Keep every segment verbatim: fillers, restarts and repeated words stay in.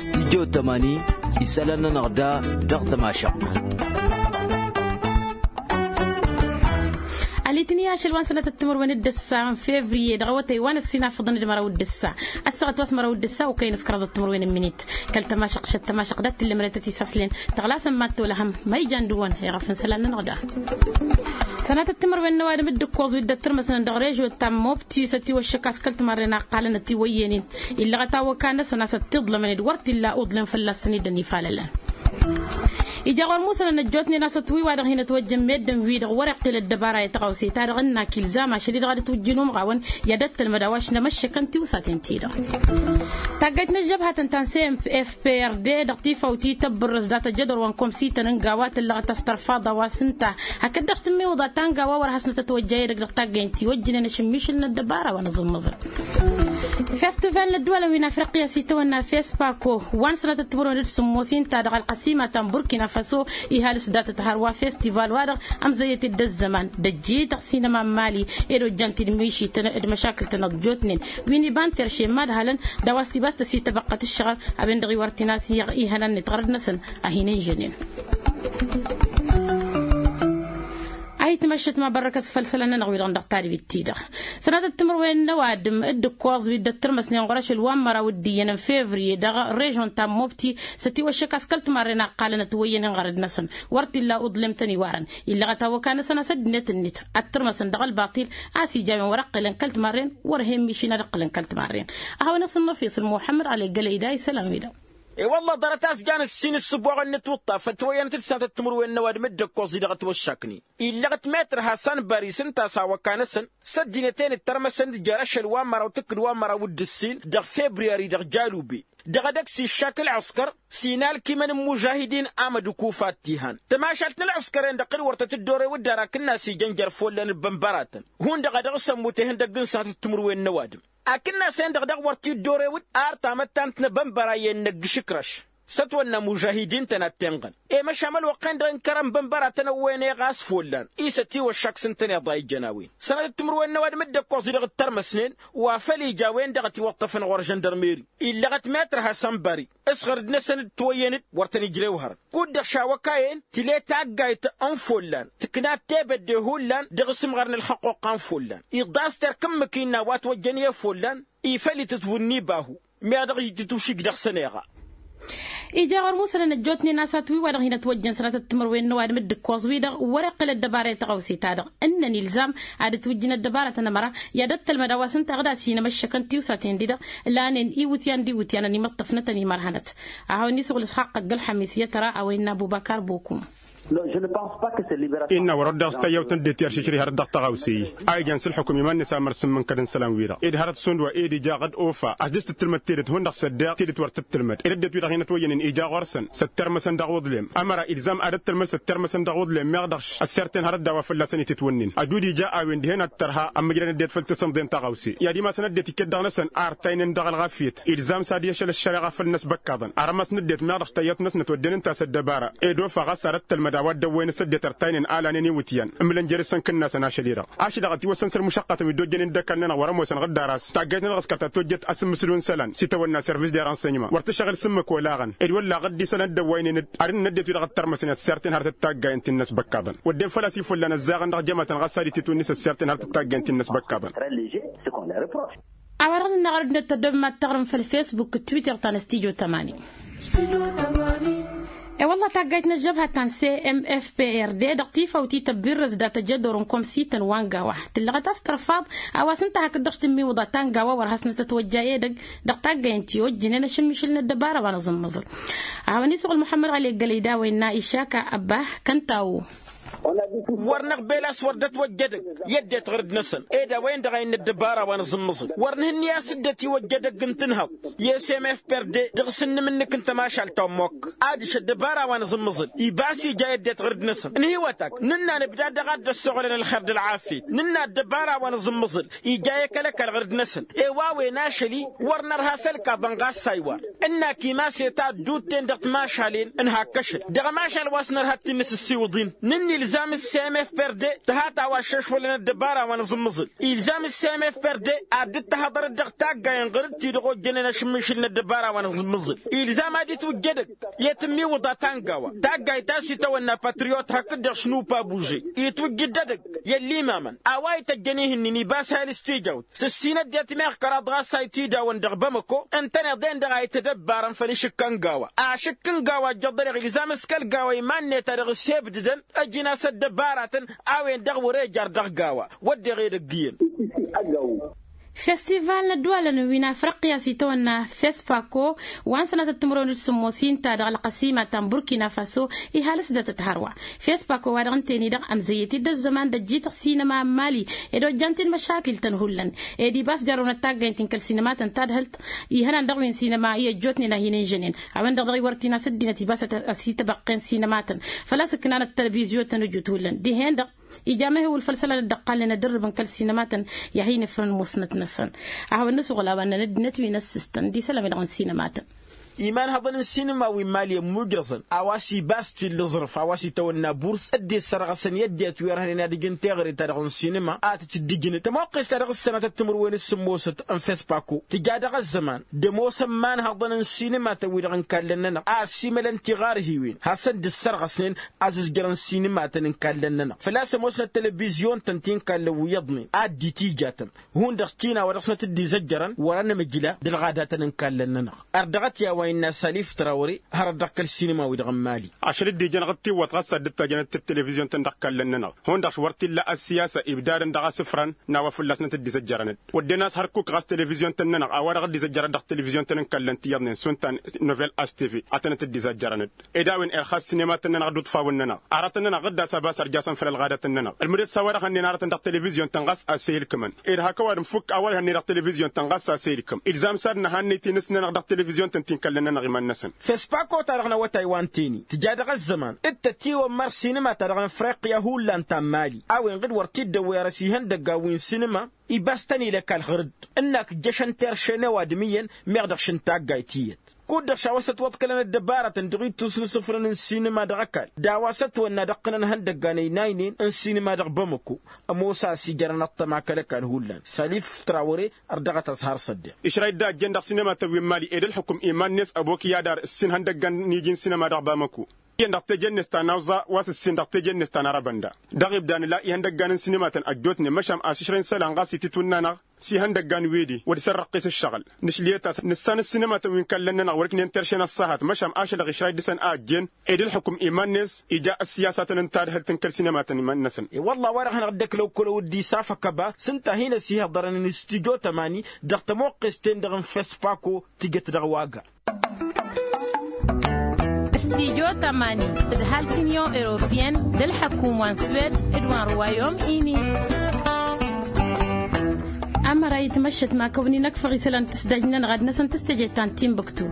Stijjo tămani isălan-nănăɣ da dăɣ-tămašăɣt. Alitǝni ašăl wa n-sănatăt d-timǝrwen d-ǝssa n-fevriye dăɣ-awătay wa n-ăssinafăḍăn d-măraw d-ǝssa. Ăssaɣăt wa s-măraw d-ǝssa okăyăn s-kăraḍăt timǝrwen n-minit kăl-tămašăɣt šăt tămašăɣt dat-tǝllǝmrătăt isaslăn tăɣlasăn mad-tolăhăm ma ijan dăɣ-wăn iɣăf n-isălan-nănăɣ da. Sănatăt timǝrwen n-ăwadǝm d-ǝkkoẓ wi dd-ăttărmăsnăn dăɣ-režo ta n-mobti s-ătiwăššăk a-s kăl-timarren a ǝqqalăn ătiwăyyănen. Illăɣăt awăka-năsăn a-s ăttiḍlămăn d-wăr t-illa uḍlem fălla-săn i-dd-ănifalălăn. Ija ɣur-musănăn ăjjootnen a-s ătwǝy wa-dăɣ hin-ătwăjjăn meddǝn-wi-dăɣ wăr-iqqǝl ăddăbara i-tăɣawse-ta-dăɣ ǝnnak ilzam ašăl-i-dăɣ a dd-ătwǝjjǝn umɣawăn i-ad-ăttălmăd a-wa š-nămăššăkăn tiwsaten-ti-dăɣ. Taggayt n-ăžžăbhatăn ta n-cmpfprd dăɣ-tifawt i-tăbbǝrrǝs dat-ăjădor wa n-komsităn n-gawa tǝllăɣăt a-s tărfaḍ a-wa s-ǝnta hakd-dăɣ s-tǝmmiwǝḍa ta n-gawa wăr hasnăt ătwăjja edăgg dăɣ-taggaynt tiwăjjǝnen ašǝmmišǝl n-ăddăbara wa n-aẓǝmmăẓăn. Festival n-ăddăwalăn wi n-afriqya s-itawănna fespako wa n-sănatăt timǝrwen d-sǝmmos inta dăɣ-ălqăsima ta n-burkina faso. Ihalǝs datăt hărwa festival-wa-dăɣ ămzăyyăt-dd ăzzăman d-ăjjităɣ sinăma n-mali ed ojjan-t-dd mišităn d-măšakǝl-tăn ăjjootnen wi n-iba n-terše n-imadhalăn d-a-wa s-ibas tăsităbăqqăt ǝššăɣăl. A-wen-dăɣ iwărtǝn a-s iɣ ihănan-net ɣărăd-năsăn a hin-inžănen. A hi-tmăššăt ma bărrăkăs făll-isălan-nănăɣ wi-dăɣ dăɣ-tadbit-ti-dăɣ. Sănatăt timǝrwen n-ăwadǝm d-ǝkkoẓ wi dd-ăttărmăsnen ɣur-ašăl wa n-măraw d-iyyăn n-fevriye dăɣ-režon ta n-mobti s-ătiwăššăk a-s kăl-timarren a ǝqqalăn ătwăyyănen ɣărăd-năsăn. Wăr t-illa uḍlem tăn-iwarăn illăɣăt awăka-năsăn a-s ăddinăt-net ăttărmăsăn dăɣ-ălbaṭil a-s ija a-wen wăr-ăqqǝlăn kăl-timarren wăr hen mišin ad-ăqqǝlăn kăl-timarren. A hawăn-asǝnnăfisǝl muḥămmăd ɣali gălăyda isălan-wi-dăɣ. E-wălla ḍarăt a-s jan ǝssin ǝssǝboɣăn n-ǝtwǝṭṭaf ătwăyyănăt-dd sănatăt timǝrwen n-ăwadǝm dd-ăkkoẓ-i-dăɣ ătwăššaknen. Illăɣ-t metr hasan bări s-ǝnta a-s awăka-năsăn s-ăddinăt-en d-tărmăsăn d-jer-ašăl wa n-măraw tǝkkǝd wa n-măraw d-ǝssin dăɣ-februari dăɣ-jalube. Dăɣ-edăgg s-iššak ǝlɣǝskăr s-inalkimăn n-imužahidin amădukuf ad-t-ihan tămašalt n-ǝlɣǝskăr-en-dăɣ d-wăr tăt-dd-ore wǝdden ar akǝnnas ijăn jer-ifullan d-ibănbăratăn. Hundăɣ a dăɣ-s ămmut ihăndăgg n-sănatăt timǝrwen n-ăwadǝm akǝnnas-en-dăɣ daɣ wăr t-dd-ore wǝd ar tamăttant n-ebănbăra i-ennăgg išǝkrăš. S-ătwănna imužahidin-tăn ad-t-inɣăn. I-măšan ălwăqq-en-dăɣ ǝnkărăn bănbăratăn ăwwăyăn eɣas follan i-s ătiwăššak s-ǝntăneḍ a ijăn a-wen sănatăt timǝrwen n-ăwadǝm dd-ăkkoẓ-i-dăɣ d-tărmăsnen. Wa făl ija a-wen-dăɣ ătiwăṭṭăfăn ɣur-žăndărmeri illăɣăt metr hassan bari s-ɣărd-năsăn dd-twăyyăn-dd wăr tăn-ijrew hărăt. Kud-dăɣ šawăkayen tǝle taggayt n-follan tǝknat tebădde hullan dăɣ-asǝmɣar n-ălxăqquqqa n-follan iḍas terk ǝmmǝk innă a-wa ătwăjjăn i-follan. Ifăl itǝtwǝnni bahu meɣ dăɣ-ijǝtǝtwǝšǝj dăɣ-săn eɣa. Ija ɣur-musănăn ăjjootnen a-s atwǝy wa-dăɣ hin-ătwăjjăn sănatăt timǝrwen n-ăwadǝm dd-ǝkkoẓ-wi-dăɣ wăr-iqqǝl ăddăbara i-tăɣawse-ta-dăɣ ǝnnăn ilzam ad-ǝtwǝjjǝn ăddăbarătăn ămăra i-ad-ăttălmăd a-wa s-ǝnta ɣǝd a-s hin-amăššăkăn tiwsaten-di-dăɣ. Lanen iwǝtyan d-iwǝtyanăn imǝṭṭăfnătăn imărhănăt. A hawăn-isuɣǝl ǝsxaqq ăgg-ălxămis i-tăra a-wa innă ăbubăkar bokum. Innă wăr-ăddoɣ s-tayyăwt n-ăddinăt i-ăršǝšrǝy hărăt dăɣ-tăɣawse-i a ijan s-ǝlxǝkum iman-net amăr s-ǝmmǝnkăd n-isălan-wi-dăɣ ed hărăt šund wa ed ija ɣǝd ofa a-s dăɣ-s tǝttǝlmăd tedet hundăɣ s-ăddeɣ tedet wăr tǝttǝlmăd ed ăddinăt-wi-dăɣ hin-ătwăyyănen ija ɣur-săn s-ăttărmăsăn dăɣ-uḍlem. Ămăra ilzam ad-ăttălmăd s-ăttărmăsăn dăɣ-uḍlem meɣ dăɣ-š ăssirten hărăt d-a-wa fălla-săn itǝtwănnen ajud ija a-wen dihen ad-tărha ămmǝjrăn ăddinăt făll-tasǝmḍe n-taɣawse i-ad-imasăn ăddinăt iket dăɣ-năsăn a ărtaynen dăɣ-ălɣafyăt. Ilzam s-ad-i ašăl ăššăreɣa făll-năsbăkkaḍăn armas n-ăddinăt meɣ dăɣ-s tăyyăt-năsnăt wădden ǝnta a-s ăddăbara ed ofa ɣas ad-ăttălmăd a-wa dd-ăwwăyăn s-ăddinăt ărtaynen a lanen iwǝtyan. Ǝmlăn jer-s ănkǝnnasăn ašăl-i-dăɣ ašăl-i-dăɣ ătiwăssăn s-ălmušăqqatăn wi dd-ojjănen d-ăkall-nănăɣ wăr-ămoosăn ɣǝd d-aras taggayt-nănăɣ s-kăl-ta tojjăt asǝmmǝsǝl wi n-isălan s-itawănna serviš de ransănyman wăr tǝššăɣǝl s-ǝmmǝk olaɣăn ed wălla ɣǝd d-isălan dd-ăwwăynen-dd. Arǝnăn ăddinăt-wi-dăɣ ăttărmăsnen ăssirten hărăt d-taggayăn ti n-inăsbăkkaḍăn wădden făl-a-s ifullan ăzzaɣăn dăɣ-jămatăn ɣas ad-itǝtwǝnni s-ăssirten hărăt d-taggayăn ti n-inăsbăkkaḍăn. A-wa-dăɣ nǝnna ɣur-ăddinăt tăddoobem ad-taɣrǝm făll-fesbuk d-twitter ta n-ăstijo tămani. E-wălla taggayt n-ăžžăbha ta n-cmfprd dăɣ-tifawt ităbbirrăs dat-ăjădor n-komsităn wa n-gawa tǝllăɣăt a-s tărfaḍ. A-wa s-ǝnta hakd-dăɣ s-tǝmmiwǝḍa ta n-gawa wăr hasnăt ătwăjja edăgg dăɣ-taggăyăn ti ojjǝnen ašǝmmišǝl n-ăddăbara wa n-aẓǝmmăẓǝl. A hawăn-isuɣǝl muḥămmăd ɣali ăggălăy d-a-wa innă išaka ăbba kăntawo. Wăr năɣbel a-s wăr dd-ătwăjja edăgg i-ăddinăt ɣǝrǝd-năsăn ed a-wen-dăɣ a innă ăddăbara wa n-aẓǝmmăẓǝl wăr nǝhǝnni a-s dd-ătiwăjja edăgg n-tǝnhăḍt. I-cmfprd dăɣ-s ǝnnǝmǝnnǝk n-tămašalt ta n-mokk adiš ăddăbara wa n-aẓǝmmăẓǝl iba a-s ija i-ăddinăt ɣǝrǝd-năsăn ǝnhǝywăt-ak nǝnna nǝbda daɣ ad-dd-ăssoɣlăn ălxer d-ălɣafyăt nǝnna ăddăbara wa n-aẓǝmmăẓǝl ija i-kăl-ăkall ɣǝrǝd-năsăn. I-wa-wen ašăl-i wăr nărha s-ălkaḍăn ɣas a iwar ǝnnak imas i-taddut-ten dăɣ-timašalen n-hak ašăl dăɣ-ămašal wa s-nărha d-ti-nǝsǝssiwǝḍ-in. Nǝnni Ilzam s-cmfprd tǝhat a-wa ăššăšwălăn ăddăbara wa n-aẓǝmmǝẓǝl. Ilzam s-cmfprd ad-dd-tăhăḍărăt dăɣ-taggayen ɣur-dd-ti-dăɣ ojjănen ašǝmmišǝl n-ăddăbara wa n-aẓǝmmǝẓǝl. Ilzam ad-itwǝjj edăgg i-tǝmmiwǝḍa ta n-gawa taggayt ta s-itawănna patriyot hakd-dăɣ šnupa buže. Itwǝjj-dd edăgg i-ăllimamăn a-wa ităjjăn ih'-ǝnnin ibas hal s-tijawt s-ǝssin ăddinăt meɣ kăraḍ ɣas a itidawăn dăɣ-bamăko. Ǝntăneḍ-en-dăɣ a itădăbbarăn făll-ašǝkka n-gawa ašǝkk n-gawa ăjjăḍăreɣ ilzam s-kăl-gawa iman-net a dăɣ-s hebdǝdăn ăjǝn-as ăddăbaratăn a-wen-dăɣ wăr-e jar dăɣ-gawa. Wădden edăgg iyyăn. Festival n-ăddăwalăn wi n-afriqya s-itawănna fespako wa n-sănatăt timǝrwen d-sǝmmos inta dăɣ-ălqăsima ta n-burkina faso. Ihalǝs datăt hărwa fespako wa dăɣ-ǝnta-en-i-dăɣ ămzăyyăt-dd ăzzăman d-ăjjităɣ sinăma n-mali ed ojjan-t-in măšakil-tăn hullan. Ed ibas jarrăwnăt taggaynt-in kăl-sinăma-tăn tadhǝlt ihănan dăɣ-wi n-sinăma i-ăjjootnen a hin-ǝnžănen. A-wen-dăɣ dăɣ-i wăr t-in-as ăddinăt ibas a-s ităbăqqen sinăma-tăn făl-a-s ǝknan ăttălbizyo-tăn ăjut hullan dihen-dăɣ. Ija mehewǝl făll-isălan dd-ăqqalnen ad-ǝrrǝbăn kăl-sinăma-tăn i-ad-hin-ifrăn musnăt-năsăn. A hawăn-nǝsɣul a-wa ǝnnăn ăddinăt wi n-ăssistăn d-isălan-wi-dăɣ n-sinăma-tăn. Imanhăḍăn n-sinǝma wi n-mali ămmujrăẓăn a-wa s-ibas t-illa aẓrǝf a-wa s-itawănna burs dd-issărɣăsăn i-ăddinăt wi ărhănen ad-ǝjǝn teɣăre-ta-dăɣ n-sinǝma a tǝcǝddǝjnǝd tămoqqest-ta-dăɣ s-sănatăt timǝrwen s-sǝmmosăt n-fespako tǝja dăɣ-ăzzăman d-ămoosăn imanhăḍăn n-sinǝma-tăn-wi-dăɣ n-ikallăn-nănăɣ a ăssiimălăn tiɣarhiwen hasăn-dd-ǝssărɣăsnen. Azǝzjărăn sinǝma-tăn n-ikallăn-nănăɣ făl-a-s ămoosnăt telebizyon-tăn ti n-ikallăn wi iyyăḍnen ad-dd-itijatăn hundăɣ tina wa dăɣ-snăt dd-izăjjărăn wăr-anămăjla d-ălɣadatăn n-kallăn-nănăɣ. Ărdăɣăt i-a-wa innă salif trawăre hărăt dăɣ-kăl-sinǝma-wi-dăɣ n-mali. Ašăl dd-ijăn ɣǝd tiwwăḍ ɣas a dd-tajjănăt d-televizyon-tăn dăɣ-kallăn-nănăɣ hundăɣ-š wăr t-illa ăssiyasa ibdadăn dăɣ-asǝfran n-a-wa fălla-snăt dd-izăjjărăn-dd wădden a-s hărkuk ɣas televizyon-tăn-nănăɣ a-wa-dăɣ dd-izăjjărăt dăɣ-televizyon-tăn n-kallăn ti iyyăḍnen šund ta n-novel htv. Ad-tănăt dd-izăjjărăn-dd ed a-wen irxas sinema-tăn-nănăɣ d-uḍfawăn-nănăɣ aratăn-nănăɣ ɣǝdda a-s abas ărjasăn făll-ălɣadatăn-nănăɣ ălmǝdet s-a-wa-dăɣ hănnen aratăn dăɣ-televizyon-tăn ɣas a-s e-ilkǝmăn. Ed hak ăwadǝm fukk a-wa ihănnen dăɣ-televizyon-tăn ɣas a-s e-ilkǝm ilzam s-ad-nǝhannăy tinǝs-nănăɣ dăɣ-televizyon-tăn-ti n-kallăn-nănăɣ iman-năsăn. Fespako-ta-dăɣ n-awătay wa n-teni tǝja dăɣ-ăzzăman d-tătiwămmăr sinǝma-ta-dăɣ n-afriqya hullan ta n-mali a-wen ɣǝd wăr t-dd-ăwwăyăr s-ihăndăggan wi n-sinǝma. Ibas tăn-ila ăkall ɣur-dd ǝnnak ǝjjăšăn terše n-ăwadǝm iyyăn meɣ dăɣ-šǝn taggayt iyyăt. Kud-dăɣ šawăsăt wăḍkălăn ăddăbarătăn dăɣ-ittus n-isǝfrăn n-sinǝma dăɣ-ăkall d-a-wa s-ătwănna d-ăqqǝnăn ihăndăggan ăynaynen n-sinǝma dăɣ-bamăko. Ămoos a-s ijărăn ăṭṭăma kăl-ăkall hullan salif trawăre. Ărdăɣăt ăẓhar s-ăddeɣ. Išrăy dd-a ăjjeen dăɣ-sinǝma-tăn wi n-mali ed ălxukǝm iman-net ăbok i-ad-ar ǝssin ihăndăggan n-iji n-sinǝma dăɣ-bamăko. Iyyăn dăɣ-teje-net ta n-awẓa wa s-ǝssin dăɣ-teje-net ta n-arăbănda. Dăɣ-ibda nǝla ihăndăggan n-sinǝma-tăn ăjjootnen măšan ašǝšrăy n-isălan ɣas itǝtwǝnna-năɣ s-ihăndăggan wi-di wăr dăɣ-s ărrăqqes ǝššăɣǝl. Nǝšlǝyăt a-s nǝssan ǝssinǝma-tăn wi n-kallăn-nănăɣ wăr-ǝknen terše n-ăṣṣahat măšan ašăl dăɣ-išrăy dăɣ-săn a ăjjeen ed ălxukǝm iman-net ija ăssiyasa-tăn n-tadhǝlt n-kăl-sinǝma-tăn iman-năsăn. E-wălla a-wa-dăɣ hanăɣ-dd-ăkla okkolăw dd-isaf ăkăba s-ǝnta a hin-ăsihăḍărăn n-stujo tămani dăɣ-tămoqqes-ten-dăɣ n-fespako tǝjăt dăɣ-waga. Stujo tămani tǝdhal kǝnyon europeyăn d-ălḥăkum wa n-swed d-wa n-ruwayom ini. Amăra itmăššăt ma kăwăn-in-ăkfăɣ isălan tǝsdaj-nănăɣ ad-năsăn tǝs teje ta n-timbuktu.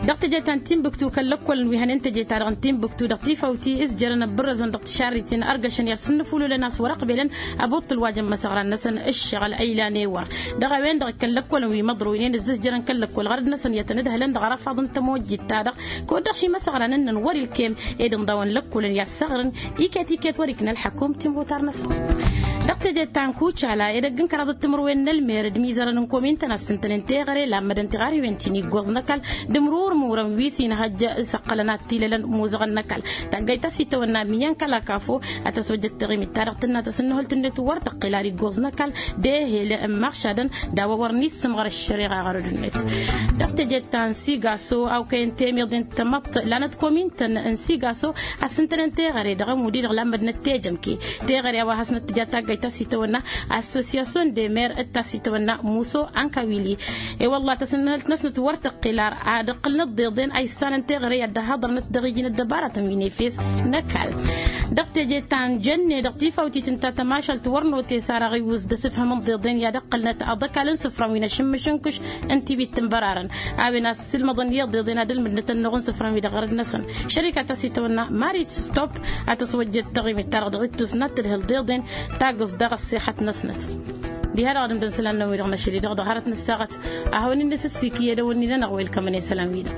Dăɣ-teje ta n-timbuktu kăl-lăkkol n-wi hănen teje ta dăɣ-n timbuktu dăɣ-tifawt ti s-jărăn ăbbărrăzăn dăɣ-tišarriten ărgăšăn i-ad-sǝnnǝfululăn a-s wăr-ăqbelăn. Ăbuṭṭǝl wa jăn imăsăɣran-năsăn ǝššăɣǝl ăylan ewăr. Dăɣ-a-wen-dăɣ kăl-lăkkolăn wi măḍrăwnen ǝzzǝzjărăn kăl-lăkkol ɣărăd-năsăn i-ad-tăn-ǝdhǝlăn dăɣ-arăfaḍ n-tămojjit-ta-dăɣ. Kud-dăɣ šimăsăɣran ǝnnăn wăr-ilkem ed ǝnḍawăn lăkkolăn i-ad-săɣrǝn iket-iket wăr-ikna ălḥăkum timɣutar-năsăn. Dăɣ-teje ta n-kucala edăgg n-kăraḍăt timǝrwen n-ălmer d-imizărăn n-komin-tăn a-s ǝntănen teɣăre lammădăn tiɣarhiwen ti n-iggoẓ n-ăkall d-imrurmurăn wi s-inhăjj s-ăqqălăn ad-t-ilălăn muzăɣăn n-ăkall. Taggayt ta s-itawănna miyyăn kăl-akafo ad-tăsojjăt taɣimit-ta-dăɣ tǝnna tasǝnnăhult-net wăr tăqqel ar iggoẓ n-ăkall d-ehel n-imaɣšadăn d-a-wa wăr n-issǝmɣăr ăššăreɣa ɣărăd-net. Dăɣ-teje ta n-sigaso a-okăyăn temiḍe n-tamăḍt lanăt komin-tăn n-sigaso a-s ǝntănen teɣăre dăɣ-ămud-i-dăɣ lammădnăt tejămke teɣăre a-wa hasnăt tǝja taggayt ta s-itawănna associasyon de mer d-ta-s itawănna muso ankawili. E-wălla tasǝnnăhălt-năsnăt wăr tăqqel ar ad-ǝqqǝlnăt d-iḍen a issanăn teɣăre i-ad-dd-ăhhăḍărnăt dăɣ-iji n-ăddăbaratăn wi n-efes n-ăkall. Dăɣ-teje ta n-jănne dăɣ-tifawt itǝnta tămašalt wăr note s-ar aɣiwǝz d-asǝfhǝmăn d-iḍen i-ad-ǝqqǝlnăt aḍăkal n-isǝfran wi n-ašǝmmǝš n-kǝš n-tiwit tǝnbărarăn. A-wen a-s sǝlmăḍăn i-iḍeḍen ad-ǝlmǝdnăt ănnuɣ n-isǝfran wi dăɣ-ɣărăd-năsăn. Šărika ta s-itawănna marit stop a tăswăjjăt taɣimit-ta-dăɣ dăɣ-ittus n-ad-tǝdhǝl d-iḍen tagǝẓt daɣ ăṣṣixăt-năsnăt. Diha-dăɣ ad-ǝmdăn isălan-nănăɣ wi-dăɣ n-ašăl-i-dăɣ dăɣ-hărăt n-ǝssaɣăt. A hawăn-in-nǝsǝssik i-edăwănni-nănăɣ welkămăn i-isălan-wi-dăɣ.